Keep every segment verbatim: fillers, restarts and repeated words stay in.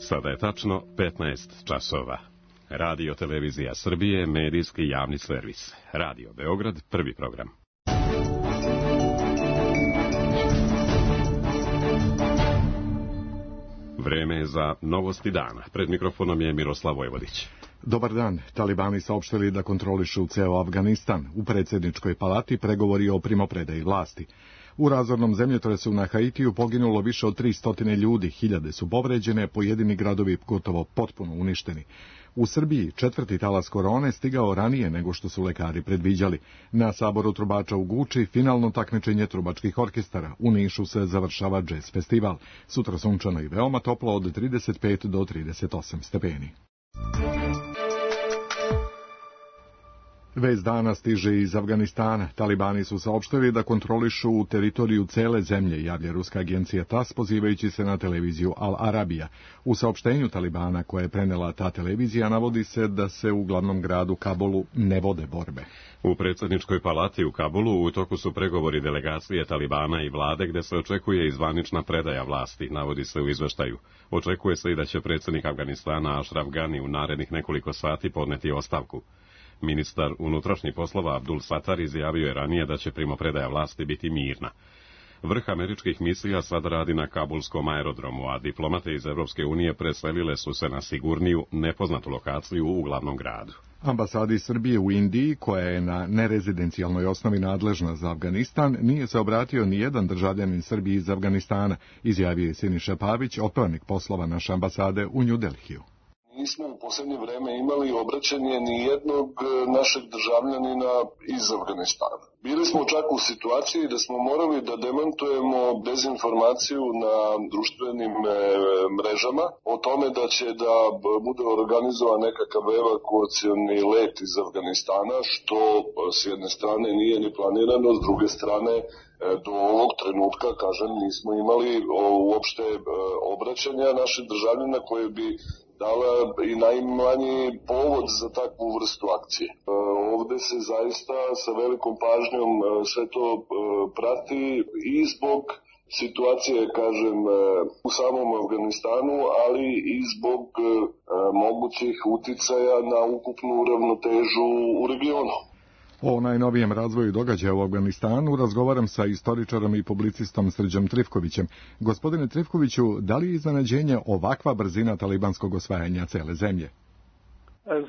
Sada je tačno petnaest časova. Radio Televizija Srbije, medijski javni servis. Radio Beograd, prvi program. Vreme je za novosti dana. Pred mikrofonom je Miroslav Vojvodić. Dobar dan. Talibani saopštili da kontrolišu ceo Afganistan. U predsjedničkoj palati pregovori o primopredaji vlasti. U razornom zemljotresu na Haitiju poginulo više od tristo ljudi, hiljade su povređene, pojedini gradovi gotovo potpuno uništeni. U Srbiji četvrti talas korone stigao ranije nego što su lekari predviđali. Na saboru trubača u Guči finalno takmičenje trubačkih orkestara. U Nišu se završava džez festival. Sutra sunčano i veoma toplo od trideset pet do trideset osam stepeni. Vest dana stiže iz Afganistana. Talibani su saopštili da kontrolišu teritoriju cele zemlje, javlja ruska agencija TAS, pozivajući se na televiziju Al Arabija. U saopštenju Talibana koje je prenela ta televizija navodi se da se u glavnom gradu Kabulu ne vode borbe. U predsjedničkoj palati u Kabulu u toku su pregovori delegacije Talibana i vlade gde se očekuje i zvanična predaja vlasti, navodi se u izveštaju. Očekuje se i da će predsjednik Afganistana Ashraf Ghani u narednih nekoliko sati podneti ostavku. Ministar unutrašnjih poslova Abdul Satar izjavio je ranije da će primopredaja vlasti biti mirna. Vrh američkih misija sad radi na kabulskom aerodromu, a diplomate iz Evropske unije preselile su se na sigurniju, nepoznatu lokaciju u glavnom gradu. Ambasadi Srbije u Indiji, koja je na nerezidencijalnoj osnovi nadležna za Afganistan, nije se obratio ni jedan državljanin Srbije iz Afganistana, izjavio je Siniša Pavić, otpravnik poslova naše ambasade u New Delhiju. Nismo u posljednje vreme imali obraćanje ni jednog našeg državljanina iz Afganistana. Bili smo čak u situaciji da smo morali da demantujemo dezinformaciju na društvenim mrežama o tome da će da bude organizovan nekakav evakuacioni let iz Afganistana, što s jedne strane nije ni planirano, s druge strane do ovog trenutka, kažem, nismo imali uopšte obraćanja naših državljana koje bi dala i najmanji povod za takvu vrstu akcije. Ovde se zaista sa velikom pažnjom sve to prati i zbog situacije, kažem, u samom Afganistanu, ali i zbog mogućih uticaja na ukupnu ravnotežu u regionu. O najnovijem razvoju događaja u Afganistanu razgovaram sa istoričarom i publicistom Srđom Trifkovićem. Gospodine Trifkoviću, da li je iznenađenje ovakva brzina talibanskog osvajanja cele zemlje?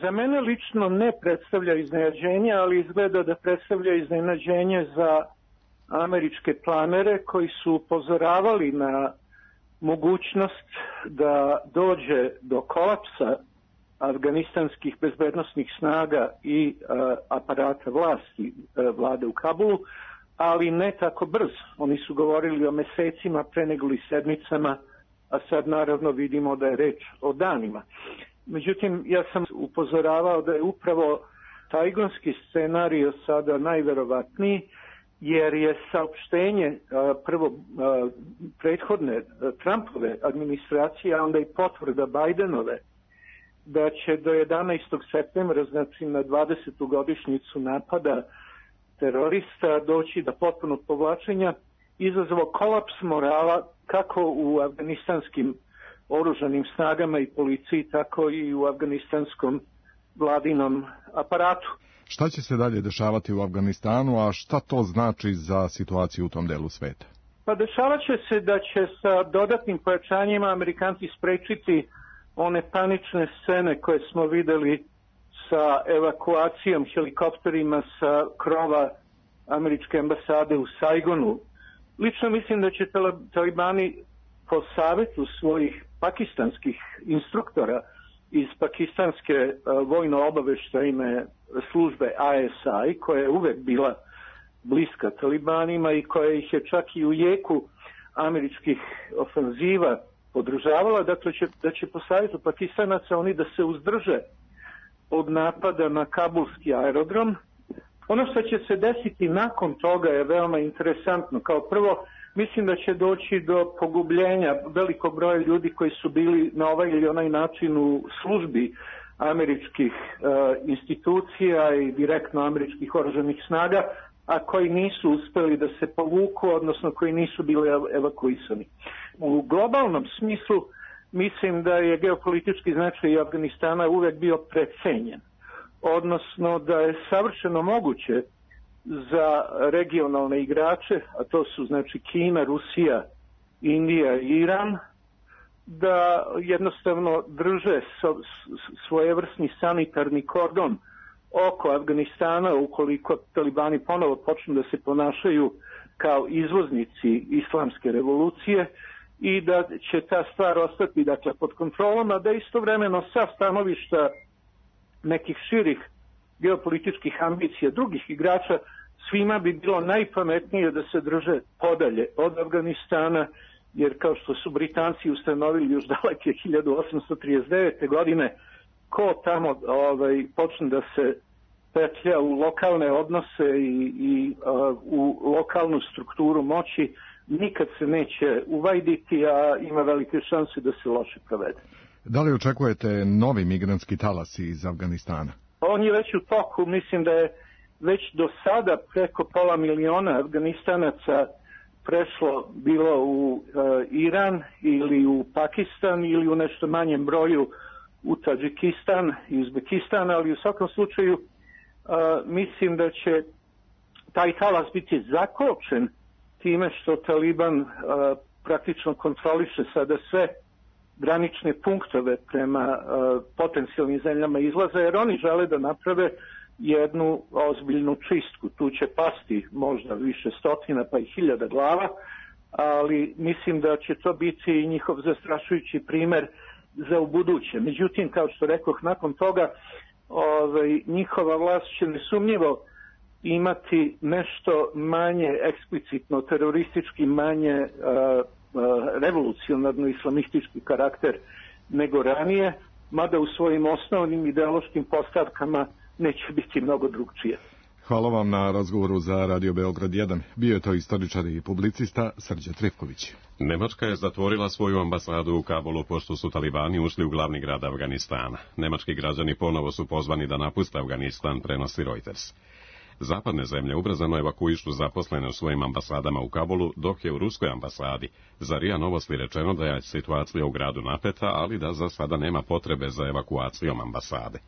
Za mene lično ne predstavlja iznenađenje, ali izgleda da predstavlja iznenađenje za američke planere koji su upozoravali na mogućnost da dođe do kolapsa afganistanskih bezbednosnih snaga i a, aparata vlasti a, vlade u Kabulu, ali ne tako brzo. Oni su govorili o mesecima, pre nego li sedmicama, a sad naravno vidimo da je reč o danima. Međutim, ja sam upozoravao da je upravo tajgonski scenario sada najverovatniji, jer je saopštenje a, prvo a, prethodne a, Trumpove administracije, a onda i potvrda Bajdenove, da će do jedanaestog septembra, znači na dvadesetu godišnjicu napada terorista, doći do potpunog povlačenja, izazvao kolaps morala kako u afganistanskim oružanim snagama i policiji, tako i u afganistanskom vladinom aparatu. Šta će se dalje dešavati u Afganistanu, a šta to znači za situaciju u tom delu sveta? Pa dešavat će se da će sa dodatnim pojačanjima Amerikanci sprečiti one panične scene koje smo videli sa evakuacijom helikopterima sa krova američke ambasade u Saigonu. Lično mislim da će talibani po savjetu svojih pakistanskih instruktora iz pakistanske vojno-obaveštajne službe I S I, koja je uvek bila bliska talibanima i koja ih je čak i u jeku američkih ofanziva podržavala, dakle će, da će po savjetu Pakistanaca oni da se uzdrže od napada na kabulski aerodrom. Ono što će se desiti nakon toga je veoma interesantno. Kao prvo, mislim da će doći do pogubljenja velikog broja ljudi koji su bili na ovaj ili onaj način u službi američkih uh, institucija i direktno američkih oružanih snaga, a koji nisu uspeli da se povuku, odnosno koji nisu bili evakuisani. U globalnom smislu mislim da je geopolitički značaj Afganistana uvek bio precenjen, odnosno da je savršeno moguće za regionalne igrače, a to su znači Kina, Rusija, Indija i Iran, da jednostavno drže svojevrsni sanitarni kordon oko Afganistana ukoliko talibani ponovo počnu da se ponašaju kao izvoznici islamske revolucije i da će ta stvar ostati dakle pod kontrolom, a da istovremeno sa stanovišta nekih širih geopolitičkih ambicija drugih igrača svima bi bilo najpametnije da se drže podalje od Afganistana, jer kao što su Britanci ustanovili još daleke hiljadu osamsto trideset devete. godine, ko tamo ovaj, počne da se petlja u lokalne odnose i, i uh, u lokalnu strukturu moći, nikad se neće uvajditi, a ima velike šanse da se loše provede. Da li očekujete novi migrantski talas iz Afganistana? On je već u toku, mislim da je već do sada preko pola miliona Afganistanaca prešlo bilo u uh, Iran ili u Pakistan ili u nešto manjem broju u Tadžikistan i Uzbekistan, ali u svakom slučaju uh, mislim da će taj talas biti zakočen time što Taliban uh, praktično kontroliše sada sve granične punktove prema uh, potencijalnim zemljama izlaza, jer oni žele da naprave jednu ozbiljnu čistku. Tu će pasti možda više stotina pa i hiljada glava, ali mislim da će to biti i njihov zastrašujući primer za ubuduće. Međutim, kao što rekoh, nakon toga ovaj, njihova vlast će nesumnjivo imati nešto manje eksplicitno teroristički, manje uh, uh, revolucionarno islamistički karakter nego ranije, mada u svojim osnovnim ideološkim postavkama neće biti mnogo drugčije. Hvala vam na razgovoru za Radio Beograd jedan. Bio je to istoričar i publicista Srđan Trifković. Nemačka je zatvorila svoju ambasadu u Kabulu pošto su talibani ušli u glavni grad Afganistana. Nemački građani ponovo su pozvani da napuste Afganistan, prenosi Reuters. Zapadne zemlje ubrzano evakuišu zaposlene u svojim ambasadama u Kabulu, dok je u ruskoj ambasadi za R I A Novosti rečeno da je situacija u gradu napeta, ali da za sada nema potrebe za evakuacijom ambasade.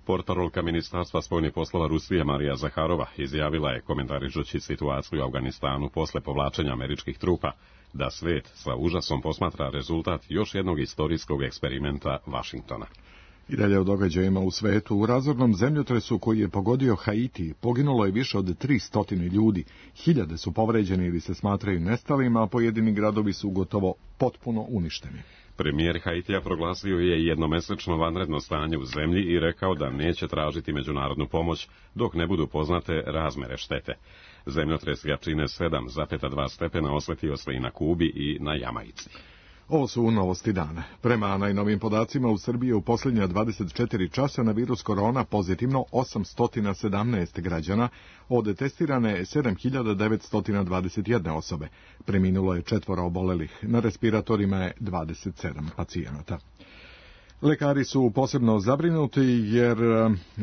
Portparolka Ministarstva spoljnih poslova Rusije Marija Zaharova izjavila je, komentarišući situaciju u Afganistanu posle povlačenja američkih trupa, da svet sa užasom posmatra rezultat još jednog istorijskog eksperimenta Vašingtona. I dalje o događajima u svetu. U razornom zemljotresu koji je pogodio Haiti poginulo je više od tristo ljudi. Hiljade su povređeni ili se smatraju nestalima, a pojedini gradovi su gotovo potpuno uništeni. Premijer Haitija proglasio je jednomesečno vanredno stanje u zemlji i rekao da neće tražiti međunarodnu pomoć dok ne budu poznate razmere štete. Zemljotres jačine sedam zarez dva stepena osjetio se i na Kubi i na Jamajci. Ovo su novosti dana. Prema najnovim podacima u Srbiji u posljednja dvadeset četiri časa na virus korona pozitivno osamsto sedamnaest građana, od testirane sedam hiljada devetsto dvadeset jedna osobe. Preminulo je četvoro obolelih, na respiratorima je dvadeset sedam pacijenata. Lekari su posebno zabrinuti jer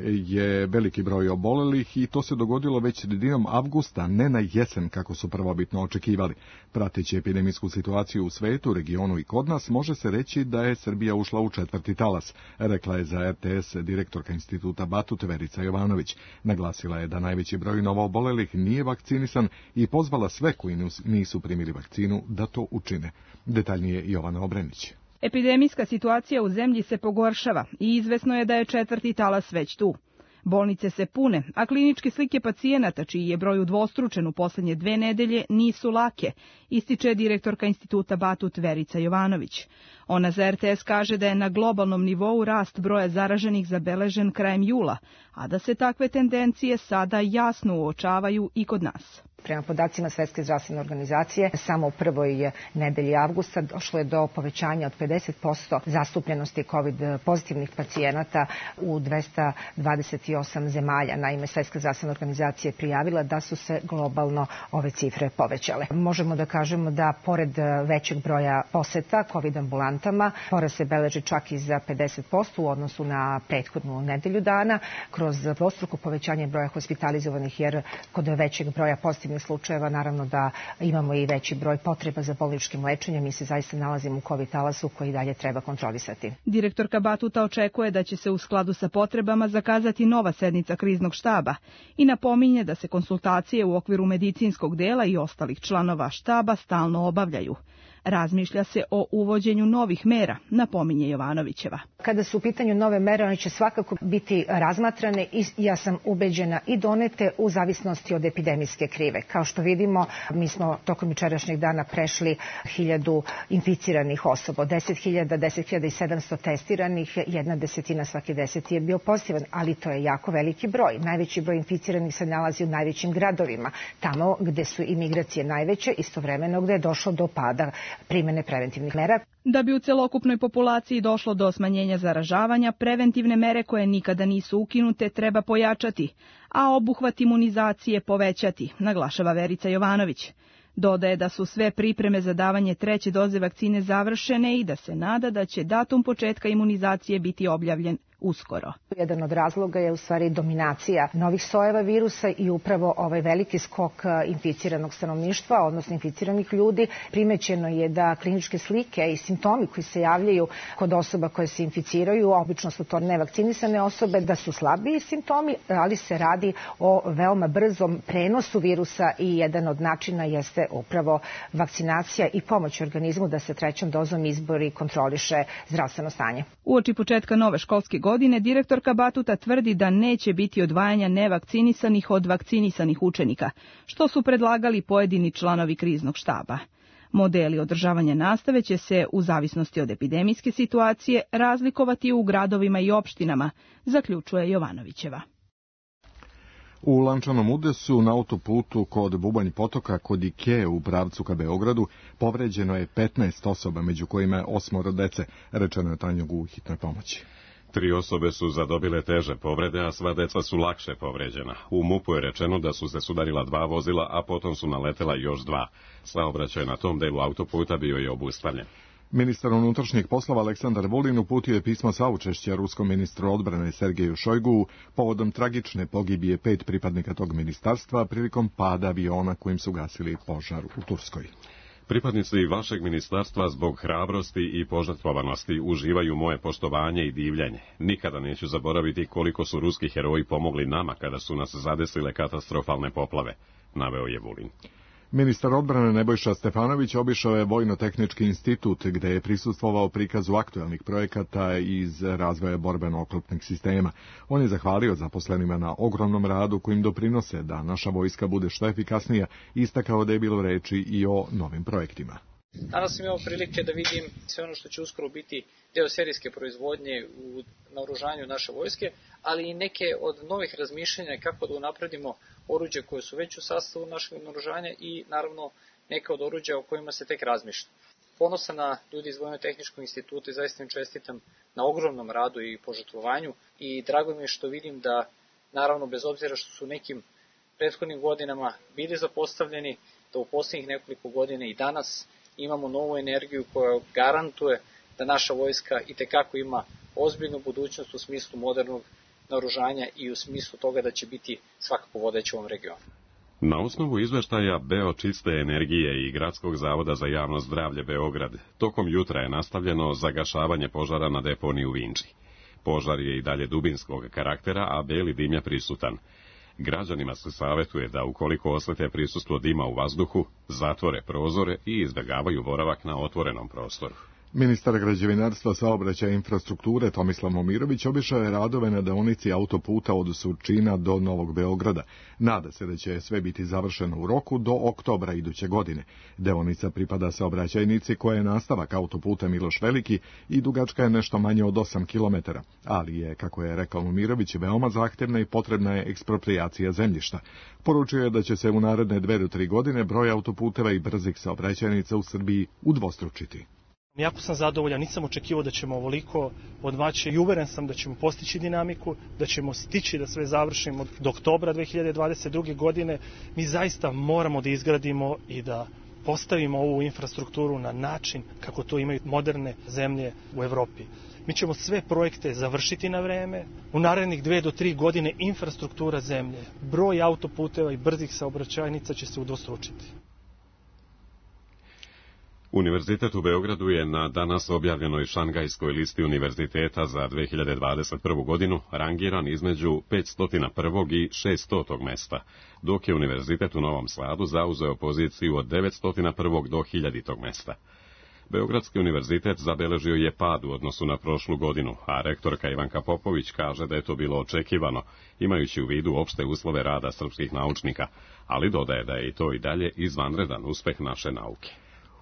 je veliki broj obolelih i to se dogodilo već sredinom avgusta, ne na jesen kako su prvobitno očekivali. Prateći epidemijsku situaciju u svetu, regionu i kod nas, može se reći da je Srbija ušla u četvrti talas, rekla je za R T S direktorka instituta Batut Verica Jovanović. Naglasila je da najveći broj novoobolelih nije vakcinisan i pozvala sve koji nisu primili vakcinu da to učine. Detaljnije Jovana Obrenić. Epidemijska situacija u zemlji se pogoršava i izvesno je da je četvrti talas već tu. Bolnice se pune, a kliničke slike pacijenata, čiji je broj udvostručen u posljednje dve nedelje, nisu lake, ističe direktorka instituta Batut Verica Jovanović. Ona za R T S kaže da je na globalnom nivou rast broja zaraženih zabeležen krajem jula, a da se takve tendencije sada jasno uočavaju i kod nas. Prema podacima Svetske zdravstvene organizacije, samo u prvoj nedelji avgusta došlo je do povećanja od pedeset posto zastupljenosti COVID pozitivnih pacijenata u dvesta dvadeset osam zemalja. Naime, Svetska zdravstvena organizacija je prijavila da su se globalno ove cifre povećale. Možemo da kažemo da pored većeg broja poseta COVID ambulantama, porast se beleži čak i za pedeset posto u odnosu na prethodnu nedelju dana, kroz dvostruko povećanje broja hospitalizovanih, jer kod većeg broja pozitivnih pozitivnih slučajeva, naravno da imamo i veći broj potreba za bolničkim lečenjem. Mi se zaista nalazimo u COVID talasu koji dalje treba kontrolisati. Direktorka Batuta očekuje da će se u skladu sa potrebama zakazati nova sednica kriznog štaba i napominje da se konsultacije u okviru medicinskog dela i ostalih članova štaba stalno obavljaju. Razmišlja se o uvođenju novih mera, napominje Jovanovićeva. Kada su u pitanju nove mere, one će svakako biti razmatrane i ja sam ubeđena i donete u zavisnosti od epidemijske krive. Kao što vidimo, mi smo tokom jučerašnjeg dana prešli hiljadu inficiranih osoba, deset hiljada, deset hiljada i sedamsto testiranih, jedna desetina svaki deset je bio pozitivan, ali to je jako veliki broj. Najveći broj inficiranih se nalazi u najvećim gradovima, tamo gde su imigracije najveće, istovremeno gde je došlo do pada primene preventivnih mera. Da bi u celokupnoj populaciji došlo do smanjenja zaražavanja, preventivne mere koje nikada nisu ukinute treba pojačati, a obuhvat imunizacije povećati, naglašava Verica Jovanović. Dodaje da su sve pripreme za davanje treće doze vakcine završene i da se nada da će datum početka imunizacije biti objavljen uskoro. Jedan od razloga je u stvari dominacija novih sojeva virusa i upravo ovaj veliki skok inficiranog stanovništva, odnosno inficiranih ljudi. Primećeno je da kliničke slike i simptomi koji se javljaju kod osoba koje se inficiraju, obično su to nevakcinisane osobe, da su slabiji simptomi, ali se radi o veoma brzom prenosu virusa i jedan od načina jeste upravo vakcinacija i pomoć organizmu da se trećom dozom izbori i kontroliše zdravstveno stanje. Uoči početka nove školske godine, direktorka Batuta tvrdi da neće biti odvajanja nevakcinisanih od vakcinisanih učenika, što su predlagali pojedini članovi kriznog štaba. Modeli održavanja nastave će se, u zavisnosti od epidemijske situacije, razlikovati u gradovima i opštinama, zaključuje Jovanovićeva. U Lančanom udesu na autoputu kod Bubanj potoka kod Ikee u pravcu ka Beogradu povređeno je petnaest osoba, među kojima je osmoro dece, rečeno je Tanjug u hitnoj pomoći. Tri osobe su zadobile teže povrede, a sva deca su lakše povređena. U MUP-u je rečeno da su se sudarila dva vozila, a potom su naletela još dva. Saobraćaj na tom delu autoputa bio je obustavljen. Ministar unutrašnjih poslova Aleksandar Vulin uputio je pismo saučešća ruskom ministru odbrane Sergeju Šojgu povodom tragične pogibije pet pripadnika tog ministarstva prilikom pada aviona kojim su gasili požar u Turskoj. Pripadnici vašeg ministarstva zbog hrabrosti i požrtvovanosti uživaju moje poštovanje i divljenje. Nikada neću zaboraviti koliko su ruski heroji pomogli nama kada su nas zadesile katastrofalne poplave, naveo je Vulin. Ministar odbrane Nebojša Stefanović obišao je Vojno-tehnički institut gde je prisustvovao prikazu aktuelnih projekata iz razvoja borbeno-oklopnih sistema. On je zahvalio zaposlenima na ogromnom radu kojim doprinose da naša vojska bude što efikasnija, istakao da je bilo reči i o novim projektima. Danas sam imao prilike da vidim sve ono što će uskoro biti deo serijske proizvodnje u naoružanju naše vojske, ali i neke od novih razmišljanja kako da unapredimo oruđe koje su već u sastavu našeg naoružanja i naravno neka od oruđa o kojima se tek razmišlja. Ponosan na ljudi iz Vojno-tehničkog instituta i zaista im čestitam na ogromnom radu i požrtvovanju i drago mi je što vidim da, naravno bez obzira što su nekim prethodnim godinama bili zapostavljeni, da u posljednjih nekoliko godina i danas imamo novu energiju koja garantuje da naša vojska itekako ima ozbiljnu budućnost u smislu modernog naoružanja i u smislu toga da će biti svakako vodeći u ovom regionu. Na osnovu izveštaja Beočiste energije i Gradskog zavoda za javno zdravlje Beograd, tokom jutra je nastavljeno zagašavanje požara na deponiji u Vinči. Požar je i dalje dubinskog karaktera, a beli dim je prisutan. Građanima se savjetuje da ukoliko osjete prisustvo dima u vazduhu, zatvore prozore i izbjegavaju boravak na otvorenom prostoru. Ministar građevinarstva, saobraćaja i infrastrukture Tomislav Momirović obišao je radove na deonici autoputa od Surčina do Novog Beograda. Nada se da će sve biti završeno u roku do oktobra iduće godine. Deonica pripada saobraćajnici koja je nastavak autoputa Miloš Veliki i dugačka je nešto manje od osam kilometara, ali je, kako je rekao Momirović, veoma zahtevna i potrebna je eksproprijacija zemljišta. Poručio je da će se u naredne dve do tri godine broj autoputeva i brzih saobraćajnica u Srbiji udvostručiti. Jako sam zadovoljan, nisam očekivao da ćemo ovoliko odmaći i uveren sam da ćemo postići dinamiku, da ćemo stići da sve završimo do oktobra dve hiljade dvadeset druge. godine. Mi zaista moramo da izgradimo i da postavimo ovu infrastrukturu na način kako to imaju moderne zemlje u Evropi. Mi ćemo sve projekte završiti na vreme. U narednih dve do tri godine infrastruktura zemlje, broj autoputeva i brzih saobraćajnica će se udvostručiti. Univerzitet u Beogradu je na danas objavljenoj Šangajskoj listi univerziteta za dve hiljade dvadeset prvu godinu rangiran između petsto prvog i šeststotog mesta, dok je Univerzitet u Novom Sadu zauzeo poziciju od devetsto prvog do hiljaditog mesta. Beogradski univerzitet zabeležio je pad u odnosu na prošlu godinu, a rektorka Ivanka Popović kaže da je to bilo očekivano, imajući u vidu opšte uslove rada srpskih naučnika, ali dodaje da je i to i dalje izvanredan uspeh naše nauke.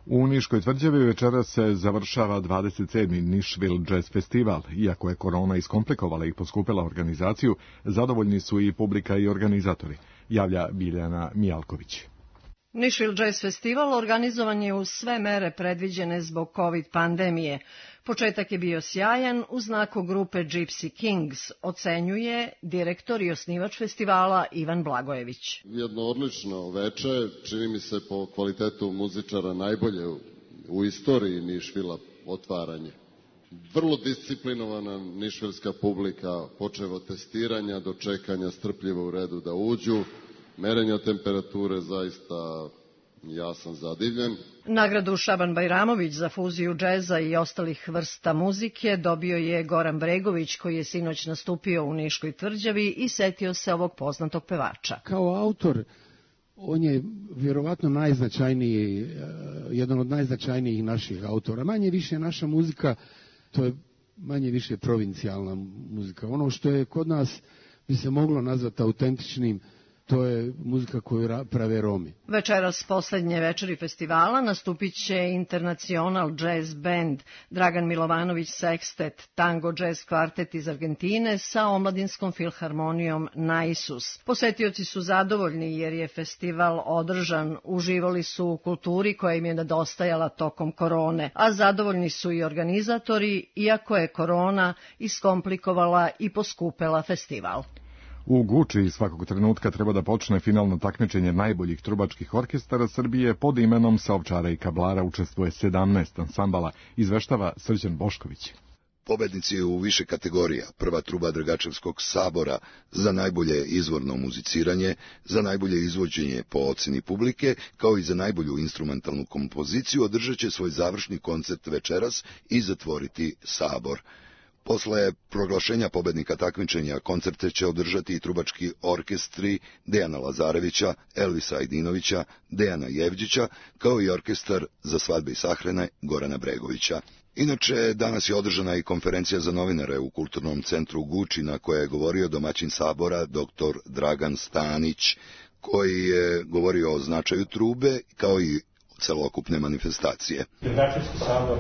U Niškoj tvrđavi večera se završava dvadeset sedmi Nišvil Jazz Festival. Iako je korona iskomplikovala i poskupila organizaciju, zadovoljni su i publika i organizatori, javlja Biljana Mijalković. Nišvil Jazz Festival organizovan je uz sve mere predviđene zbog COVID pandemije. Početak je bio sjajan u znaku grupe Gypsy Kings, ocenjuje direktor i osnivač festivala Ivan Blagojević. Jedno odlično veče, čini mi se po kvalitetu muzičara najbolje u, u istoriji Nišvila otvaranje. Vrlo disciplinovana nišvilska publika, počev od testiranja do čekanja strpljivo u redu da uđu, merenja temperature, zaista ja sam zadivljen. Nagradu Šaban Bajramović za fuziju džeza i ostalih vrsta muzike dobio je Goran Bregović, koji je sinoć nastupio u Niškoj tvrđavi i setio se ovog poznatog pevača. Kao autor, on je vjerovatno najznačajniji, jedan od najznačajnijih naših autora. Manje više naša muzika, to je manje više provincijalna muzika. Ono što je kod nas bi se moglo nazvati autentičnim, to je muzika koju prave Romi. Večeras poslednje večeri festivala nastupit će Internacional Jazz Band, Dragan Milovanović Sextet, Tango Jazz Kvartet iz Argentine sa omladinskom filharmonijom Naisus. Posetioci su zadovoljni jer je festival održan, uživali su u kulturi koja im je nedostajala tokom korone, a zadovoljni su i organizatori, iako je korona iskomplikovala i poskupela festival. U Guči svakog trenutka treba da počne finalno takmičenje najboljih trubačkih orkestara Srbije. Pod imenom Sa Ovčara i Kablara učestvuje sedamnaest ansambala, izveštava Srđan Bošković. Pobednici u više kategorija: prva truba Dragačevskog sabora za najbolje izvorno muziciranje, za najbolje izvođenje po oceni publike, kao i za najbolju instrumentalnu kompoziciju, održat će svoj završni koncert večeras i zatvoriti sabor. Posle proglašenja pobednika takmičenja koncerte će održati i trubački orkestri Dejana Lazarevića, Elvisa Ajdinovića, Dejana Jevđića, kao i orkestar za svadbe i sahrane Gorana Bregovića. Inače, danas je održana i konferencija za novinare u Kulturnom centru Guči, na kojoj je govorio domaćin sabora doktor Dragan Stanić, koji je govorio o značaju trube kao i celokupne manifestacije. Dragačevski sabor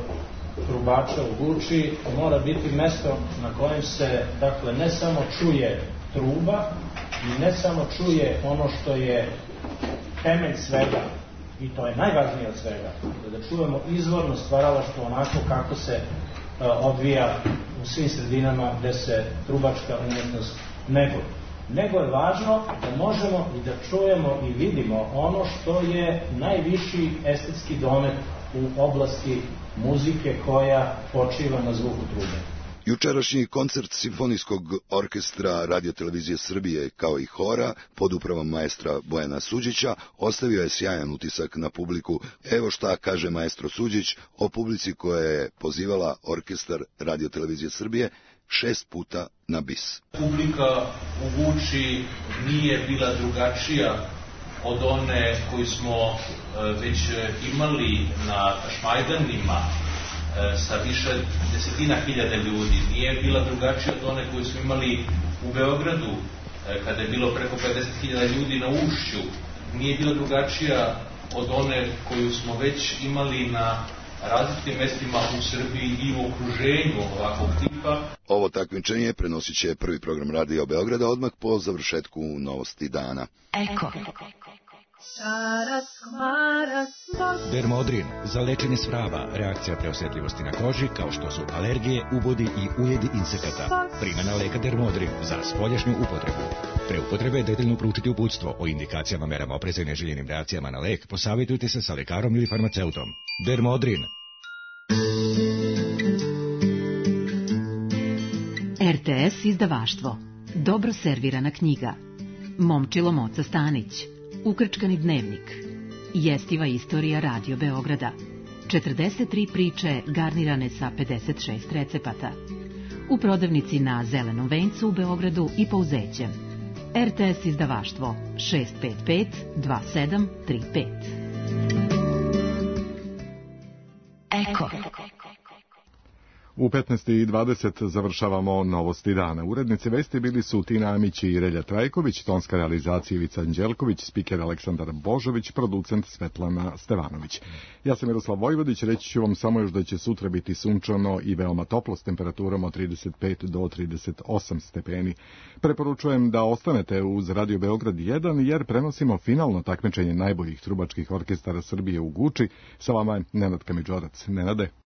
trubača u Guči mora biti mesto na kojem se, dakle, ne samo čuje truba i ne samo čuje ono što je temelj svega, i to je najvažnije od svega, da čujemo izvorno stvaralaštvo onako kako se odvija u svim sredinama gde se trubačka umetnost neguje. Nego je važno da možemo i da čujemo i vidimo ono što je najviši estetski domet u oblasti muzike koja počiva na zvuku trube. Jučerašnji koncert Simfonijskog orkestra Radiotelevizije Srbije kao i hora pod upravom maestra Bojana Suđića ostavio je sjajan utisak na publiku. Evo šta kaže maestro Suđić o publici koja je pozivala orkestar Radiotelevizije Srbije šest puta na bis. Publika u Guči nije bila drugačija od one koju smo već imali na Šmajdanima sa više desetina hiljada ljudi. Nije bila drugačija od one koju smo imali u Beogradu kada je bilo preko pedeset hiljada ljudi na Ušću. Nije bila drugačija od one koju smo već imali na različitim mestima u Srbiji i u okruženju ovakvog tipa. Ovo takmičenje prenosit će prvi program Radio Beograda odmah po završetku Novosti dana. Eko. Šarac, komarac, bos. Dermodrin, za lečenje svrava, reakcija preosjetljivosti na koži, kao što su alergije, ubodi i ujedi insekata. Primjena leka Dermodrin za spoljašnju upotrebu. Pre upotrebe detaljno proučiti uputstvo o indikacijama, merama opreza i neželjenim reakcijama na lek, posavjetujte se sa lekarom ili farmaceutom. Dermodrin. R T S izdavaštvo. Dobro servirana knjiga. Momčilo Moca Stanić. Ukrčkani dnevnik. Jestiva istorija Radio Beograda. četrdeset tri priče garnirane sa pedeset šest recepata. U prodavnici na Zelenom vencu u Beogradu i Pouzećem. R T S izdavaštvo šest pet pet dva sedam tri pet. Eko. U petnaest i dvadeset završavamo novosti dana. Urednici vesti bili su Tina Amić i Relja Trajković, tonska realizacija Ivica Anđelković, spiker Aleksandar Božović, producent Svetlana Stevanović. Ja sam Miroslav Vojvodić, reći ću vam samo još da će sutra biti sunčano i veoma toplo s temperaturom od trideset pet do trideset osam stepeni. Preporučujem da ostanete uz Radio Beograd jedan jer prenosimo finalno takmičenje najboljih trubačkih orkestara Srbije u Guči. Sa vama je Nenad Kamidžorac. Nenade.